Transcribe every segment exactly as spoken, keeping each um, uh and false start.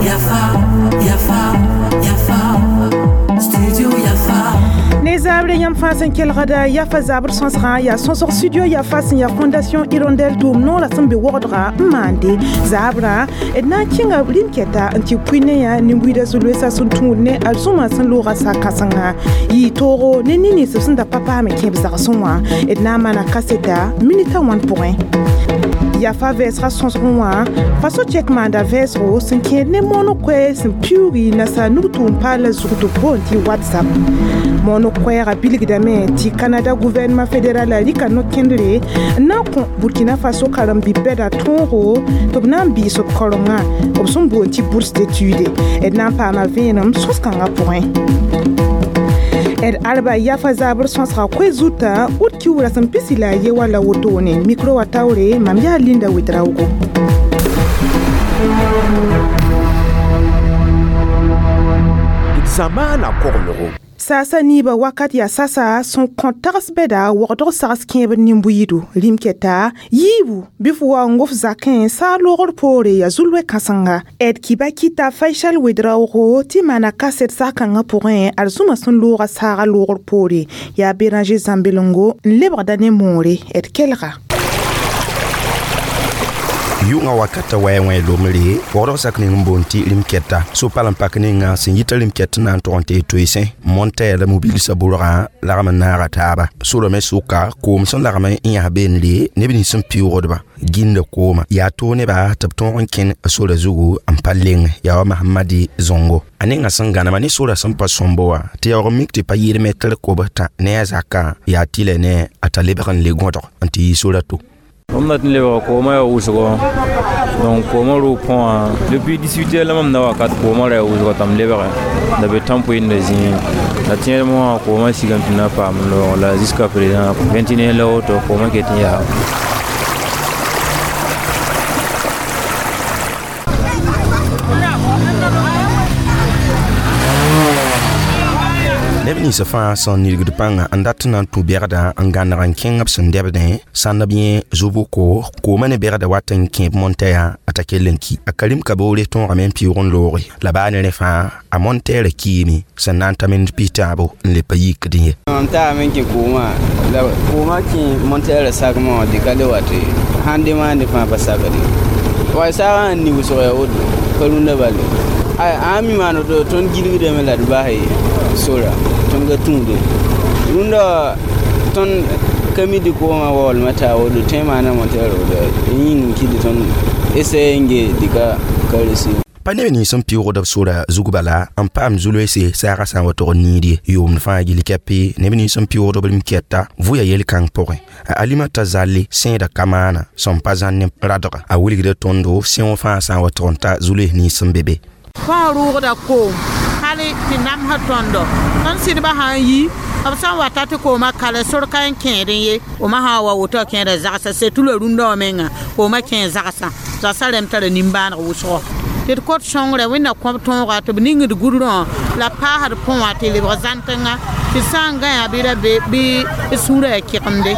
Yafa, Yafa, Yafa, Studio Yafa. Ne zabre yãmb fãa sẽn kelgda Yafa zabr sõsgã yaa sõsg studio Yafa sẽn yaa Fondation Hirondelle tʋʋm noorã sẽn be wogdga n maande zabrã d na n kẽnga rĩm-kɛta n tɩ pʋɩ ne yã nin-buiidã zu-loeesã sẽn tũud ne arzũmã sẽn looga sa-kãsenga yɩ toogo ne nin-nins b sẽn da pa paam n kẽb zagsẽ wã d na n maana kaseta minita wãn pʋgẽ. Yafa vɛɛsga sõsgẽ wã faso chɛk maanda vɛɛsgo sẽn kẽed ne mooneg koɛɛ sẽn piuugi nasaar nug-tʋʋm paala zug tɩ b boond tɩ WhatsApp. Mooneg koɛɛgã bilgdame tɩ Canada gouvernement fédéral rɩka no-kẽndre n na n kõ Burkina Faso karen-bi-bɛda tõogo tɩ b na n bɩɩs b kaorengã b sẽn boond tɩ bourse d'étude. D na n paama vẽenem sõs-kãngã pʋgẽ. D arba Yafa zabr sõsga koe zutã ut kiuurã sẽn pisi la a ye wala wotone micro wa taoore mam yaa Linda Ouedraogo. Zamaana koglgo. Saasa niibã wakat yaa sasa sẽn kõ tags bɛda wogdg sags kẽebd nin-buiidu rĩm-kɛta yiibu bɩ f wa n gof zakẽ saag loogr poore yaa zu-loe kãsenga. D Kibakita Faisal Ouedraogo tɩ maana kaset sag-kãngã pʋgẽ arzũmã sẽn looga saaga loogr poore yaa Béranger Zãmbelengo n lebgda ne moore d kelga. Yʋngã wakata wɛ wẽ lomre wogdg sak ning n boond tɩ rĩm-kɛta so-pal n pak ninga sẽn yita rĩm-kɛt na n tog n tee toeesẽ montɛɛr la mobilsã bʋrgã lagm n naaga taaba sorã me sʋka koom sẽn lagm n yãs beenre neb nins sẽn piʋʋgdba gĩnda kooma yaa toog nebã tɩ b tõog n kẽn sora zugu n pa leng yaa wa Mahamadi Zongo a ninga sẽn gãnema ne sora sẽn pa sõmbo wã tɩ yaoog n mik tɩ pa yɩɩd mɛtr kobs tã ne a zakã yaa tɩlɛ ne a ta lebg n le gõdg n tɩ yi sora to. Mam dat n lebga koomã yaa wʋsgo donc koomã roog pʋgã depuis dix-huit heures la mam na wakat koomã ra yaa wʋsgo tɩ m lebge la be tãmp-wẽnda zĩig la tẽedm wã koomã sigame tɩ na paam n loog la jusqu'à présent vingt et une heures la woto koomã ket n yaa. Neb nins fãa sẽn nilgd pãnga n dat n na n tũ bɛgda n gãneg n kẽng b sẽn dɛbdẽ sãnd b yẽ zu-bʋko koomã ne bɛgda wat n kẽeb montɛɛyã a ta kell n ki. A Karim Kaboore tõogame n pɩʋʋg n looge la baa ne rẽ fãa a montɛɛrã kiime sẽn na n ta mind pis-tãabo n le pa yikdẽ ye. Mam taame n kẽ koomã la koomã kẽ montɛɛrã sakmã wã dɩka le wa tɩ sãn dẽ maande fãa pa sakde wa saagã n ni wʋsg yaa woto pa rũndã bale ay ã mi maan woto tõnd gilgdame la d bas sora tõnd ka tũude rũndã tõnd ka mi dɩ koomã waoolmã taa woto tõe maana montɛɛr woto yĩng n kɩdɩ tõnd essaye n ge dɩka ka resi. Pa neb nins sẽn pɩʋʋgd b sora zug bala n paam zu-loeese saagã sã n wa tog n niid ye yʋʋmd fãa gill kɛpe neb nins sẽn pɩʋʋgd b rĩm-kɛta vʋya yel-kãng pʋgẽ. A Alimata zalle sẽeda ka maana sẽn pa zãn ne radga a wilgda tõndo sẽong fãa sã n wa tog n ta zu-loees nins sẽn be be. Fãa rʋʋgda koom hal tɩ namsã tõndo tõnd sɩdbã sã n yi b sã n wata tɩ koomã kale sor ka n kẽedẽ ye oma sã n wa woto a kẽeda zagsã setu la rũndã wã menga koomã kẽ zagsã zagsã rẽmb tara nimbãaneg wʋsgo tɩ d kot sõngrã wẽnna kõb tõoga tɩ b ningd gudrõ la paasd põ wã tɩ lebg zãntẽnga tɩ sã n gãyã bɩ ra be bɩ d sũurã yaa kɩgemde.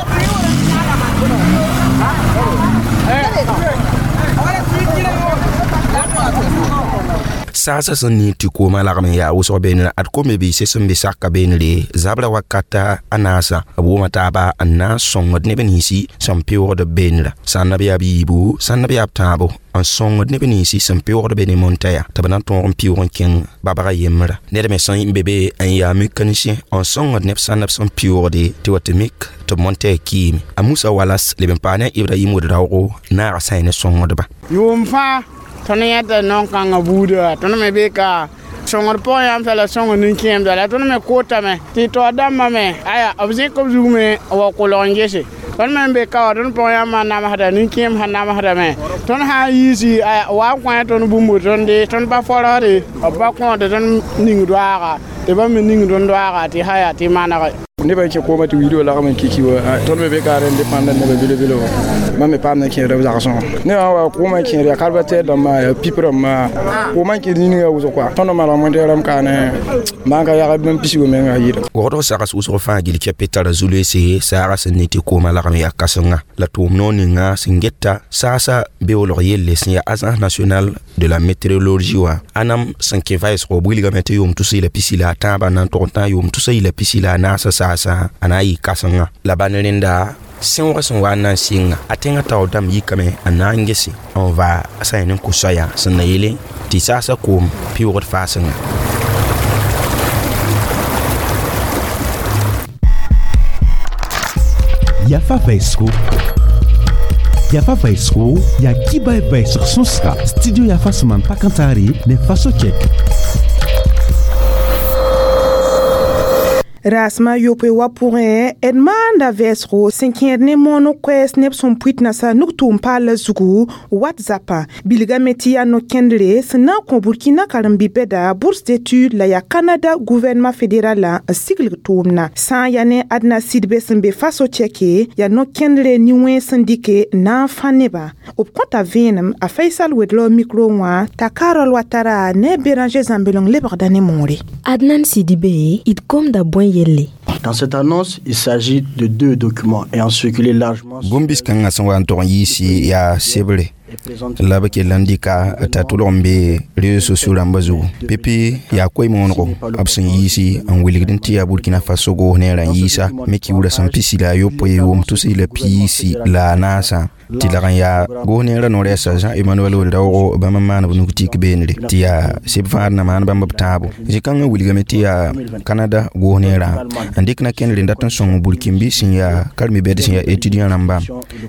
Saasã sẽn niig tɩ koomã lagm n yaa wʋsg beenrã ad kom biise sẽn be saka beenre zabra wakata a naasã b wʋma taaba n na n sõngd neb ninsi sẽn pɩʋʋgd b beenrã sã n b yaa b yiibu sã n b yaa b tãabo n sõngd neb ninsi sẽn pɩʋʋgd be ne montɛɛyã tɩ b na n tõog n pɩʋʋg n kẽng babga yembrã ned me sẽn be be n yaa mécanicien n sõngd neb sã n b sẽn pɩʋʋgde tɩ wa tɩ mik tɩ b montɛɛ kiime. A Musa Walas leb n paa ne a Ibrahim Ouedraogo naaga sã ne sõngdba. Yʋʋm fãa tõnd yãta naon-kãngã buudã tõnd me be ka sõngd pʋgẽ yãmb la sõngd nin-kẽemda la tõnd me kootame tɩ taoor dãmbã me aya b zẽk b zug me n wa kolg n gese tõnd me n be ka wã tõnd pʋgẽ yãmbã namsda nin-kẽem sã namsdame tõnd sã n yiisi aya wa n kõ tõnd bũmb tõnde tõnd pa forosde b pa kõod tõnd ning doaaga tɩ bãmb me ning tõnd doaaga tɩ sã yaa tɩ manege. Nebã n kẽ koomã tɩ wiidã lagm n kiki wa tõnd me be ka rẽnd pãnd neba bɩle-bɩle wã. Mam me paam na kẽedb zagsẽ ne wã wa koomã kẽed yaa kalbatɛɛr dãmbã yaa pip rãmbã koomã kẽed yĩnga wʋsg kɔa tõnd maneg montɛɛrame kaane maan ka yag bãmb pisgu menga yɩɩda. Wogdg sags wʋsg fãa gill kɛpɩ tara zu-loeese saaga sẽn ne tɩ koomã lagem yaa kãsenga la tʋʋm noor ninga sẽn geta saasa beoolg yelle sẽn yaa Agence nationale de la météorologie wã ãnam sẽn kẽ vɛɛsgo b wilgame tɩ yʋʋm tus la pisi la a tãabã na n tog n tã yʋʋm tus la pisi la a naasã saasã a na n yɩ kãsenga la bal rẽnda sẽoog sẽn wa n na n sɩnga a tẽngã taoor dãmb yikame n na n gese n va sã yẽ ne n kos soaya sẽn na yele tɩ saasã koom pɩʋʋgd faasenga. Yafa vɛɛsgo Yafa vɛɛsgo yaa kiba vɛɛsg sõsga studio Yafa sẽn maan pa-kãntaare ne Faso Tchɛk. Rasma yopoe wa pʋgẽ d maanda vɛɛsgo sẽn kẽed ne moon koɛɛs neb sẽn pʋɩt nasa nug-tʋʋm paala zugu WhatsApp bilgame tɩ yaa no-kẽndre sẽn na n kõ Burkina karen-bi-bɛda bourse d'études la yaa Canada gouvernement fédéral n siglg tʋʋmna sã n yaa ne Adna Sidbe sẽn be Faso Tchɛke yaa no-kẽndre nin-wẽns sẽn dɩke n na n fã nebã b kõta vẽenem a Faisal Wedlo micro wã t'a Carole Ouattara ne Béranger Zambelong lebgda ne moore. Adnan Sidibé d gomda bõe. Dans cette annonce, il s'agit de deux documents ayant circulé largement. Bũmb kãngã sẽn wa n tog n yiisi yaa sebre la b kell n dɩka t'a tʋlg n be réseaux sociaux rãmbã zugu pipi yaa koe-moonego b sẽn yiisi n wilgd n tɩ yaa Burkina Faso goos neerã n yiisa me kiuurã sẽn pisi la a yopoe yʋʋm tus la piisi la a naasã tɩ lag n yaa goos neerã no-rɛɛsa Jean Emmanuel Ouedraogo bãmb n maan b nug tik beenre tɩ yaa seb fãad na maan bãmb b tãabo zĩ-kãngã wilgame tɩ yaa Canada goos neerã n dɩk na kẽndre n dat n sõng Burkinbi sẽn yaa karen-bi-bɛd sẽn yaa étudiant rãmba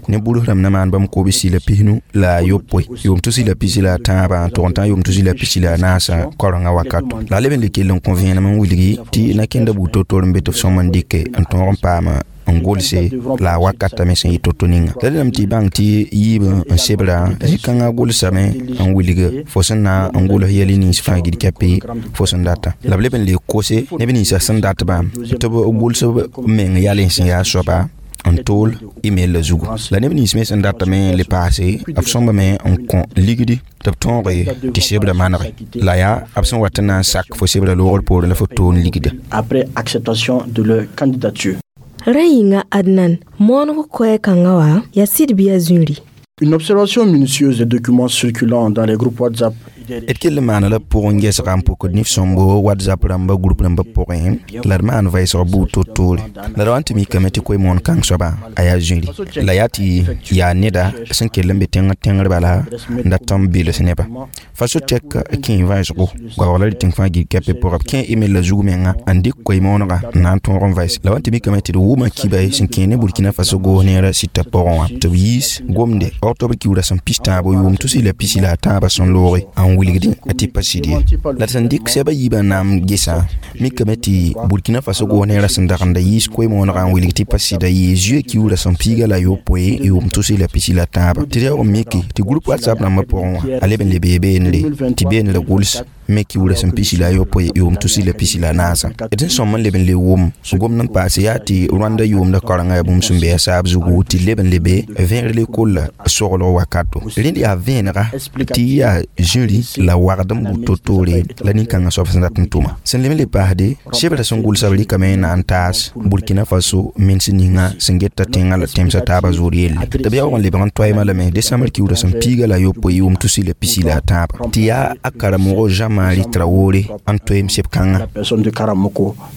ne burus rãmb na maan bãmb kobsi la pisnu la a yopoe yʋʋm tus la pisi la a tãabã n tʋg n tã yʋʋm tus la pisi la a naasã kaorengã wakato la a leb n le kell n kõ vẽenem n wilgi tɩ na kẽnda buud to-to n be tɩ f sõm n dɩke n tõog n paama n golse la a wakata me sẽn yɩ to-to ninga la dẽname tɩ y bãng tɩ yiib n sebra zĩ-kãngã golsame n wilg fo sẽn na n gols yɛl nins fãa gil kɛpɩ fo sẽn data la b leb n le kose neb ninsã sẽn datbã tɩ b gols b meng yalẽ sẽn yaa soaba n tool email la zugu la neb nins me sẽn datame le paase b sõmbame n kõ ligdi tɩ b tõoge tɩ sebra manege la yaa b sẽn wat n na n sak fo sebra loogr poorẽ la fo toon ligda. Après acceptation de leur candidature. Rẽ yĩnga Adnan mooneg koɛɛ-kãngã wã yaa sɩd bɩ yaa zũri. Une observation minutieuse des documents circulant dans les groupes WhatsApp d kell n maana la pʋgẽ gɛsga n pʋkd nif sõmbo WhatsApp rãmba group rãmba pʋgẽ la d maan vɛɛsg buud to-toore la d wa n tɩ mikame tɩ koe-moon kãng soaba a yaa zũri la yaa tɩ yaa neda sẽn kell n be tẽng tẽngr bala n dat n bels nebã Faso Tchɛk kẽ vɛɛsgo goabg la rɩ tẽng fãa gil kɛpɩ pʋgã b kẽ email la zug menga n dɩk koe-moonega n na n tõog n vɛɛs la wa n tɩ mikame tɩ d wʋma kiba sẽn kẽ ne Burkina Faso goos neerã sɩtã pʋgẽ wã tɩ b yiis gomde octobre kiuurã sẽn pis tãabo yʋʋm tus la pisi la a tãabã sẽn looge n wilgdẽ a tɩ pa sɩd ye la d sẽn dɩk sɛba yiibã n na n gesã mikame tɩ Burkina Faso goos neerã sẽn dagenda yiis koe-moonegã n wilg tɩ pa sɩda yɩ zuee kiuurã sẽn piiga la yopoe yʋʋm tus la pisi la tãabã tɩ reoog n miki tɩ group WhatsApp rãmbã pʋgẽ wã a leb n le bee beenre tɩ beenrã gʋls me kiuurã sẽn pisi la a yopoe yʋʋm tus la pisi la a naasã d sẽn sõm n leb n le wʋm gomd n paase yaa tɩ Rwanda yʋʋmda kaorengã yaa bũmb sẽn be a saab zugu tɩ leb n le be vẽer lekolla soglg wakato rẽnd yaa vẽenega tɩ yaa zĩri la wagd n bʋ to-toore la nin-kãngã soab sẽn dat n tʋma sẽn leb n le paasde sebra sẽn gʋlsa b rɩkame n na n taas Burkina Faso mens ninga sẽn geta tẽngã la tẽmsã taabã zoor yelle tɩ b yaoog n lebg n toaemã lame décembre kiuurã sẽn piiga la a yopoe yʋʋm tus la pisi la a tãabã tɩ yaa a karamɔgɔ Jean-Marie Traoré n toeem seb-kãngã.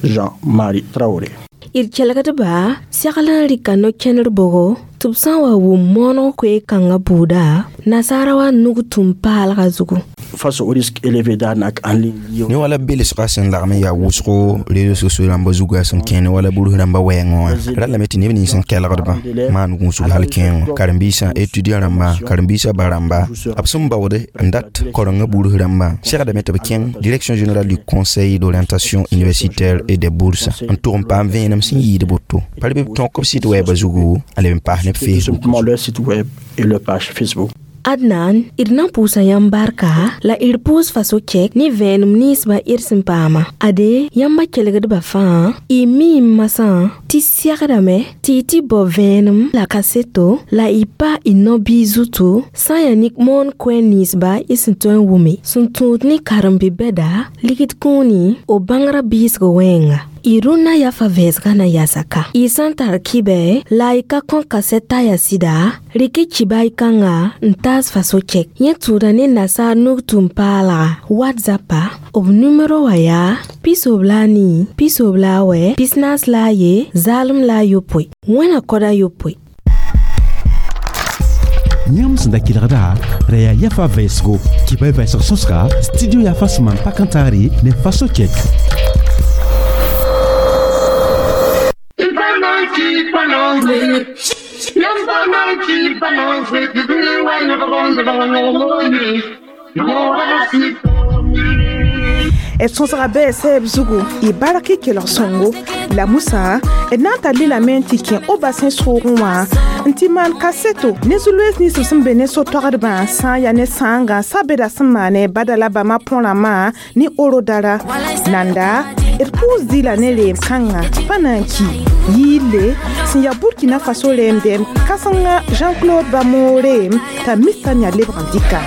Jean-Marie Traoré. D kelgdba segl n rɩka no-kẽnder bʋgo tɩ b sã n wa wʋm mooneg koe-kãngã buuda nasaara wa nug tũm paalgã zugu. Face au risque élevé d'arnaque en ligne. Ne wala belsga sẽn lagm n yaa wʋsgo réseaux sociaux rãmbã zugã sẽn kẽ ne wala burus rãmbã wɛɛngẽ wã ra lame tɩ neb nins sẽn kelgdbã maan gũusg hal kẽengõ karen-biisã étudiant rãmbã karen-biisã ba rãmba b sẽn baood n dat kaorengã burus rãmbã segdame tɩ b kẽng direction générale du conseil d'orientation universitaire et des bourses n tʋg n paam vẽenem sẽn yɩɩd boto pa b tõk b site wɛɛbã zugu a leb n paas ne b Facebook. Leur site web et leur page Facebook. Adnan, d na n pʋʋsa yãmb barka la d pʋʋs faso-kɛk ne vẽenem ninsbã d sẽn paama. Ade, yãmba kelgdbã fãa, y mi n masã tɩ segdame tɩ y tɩ bao vẽenem la kaseto la y pa y no-biis zutu sã n yaa ne moon koɛɛg ninsba y sẽn tõe n wʋme sẽn tũud ne karen-bi-bɛda ligd kũuni b bãngrã biisg wẽnga. Y rũnnã yafa vɛɛsgã na yasaka. Y sã n tar kɩbɛ la y ka kõ kasɛt t'a yaa sɩda, rɩk y kiba y kãnga n taas faso-kɛk. Yẽ tũuda ne nasaar nug tũum-paalga WhatsAppa b numero wã yaa pisob la a nii, pisob la a wɛ, pisnaas la a ye, zaalem la a yopoe. Wẽna koda yopoe. Yãmb sẽn da kelgda ra yaa yafa vɛɛsgo kɩba y vɛɛsg sõsga studio yafa sẽn maan pak n taare ne faso kɛk. D sõsga bɛɛ sɛɛb zugu y bark y kelg sõngo la musã d na n tar lilame n tɩ kẽ o-basẽ soogẽ wã n tɩ maan kaseto ne zu-loees nins b sẽn be ne so-toagdbã sã n yaa ne sãangã sabeda sẽn maane bada la bãmba põrãmã ne orodara nanda d pʋʋs dɩla ne reem kãnga pa na n ki yiille sẽn yaa Burkina Faso reemdɛm kãsenga Jean-Claude Bamo reem t'a mista n yaa lebg n dɩka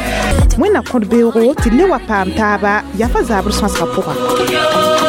wẽnna kõt beoogo tɩ le wa paam taaba yafa zabr sõsgã pʋga.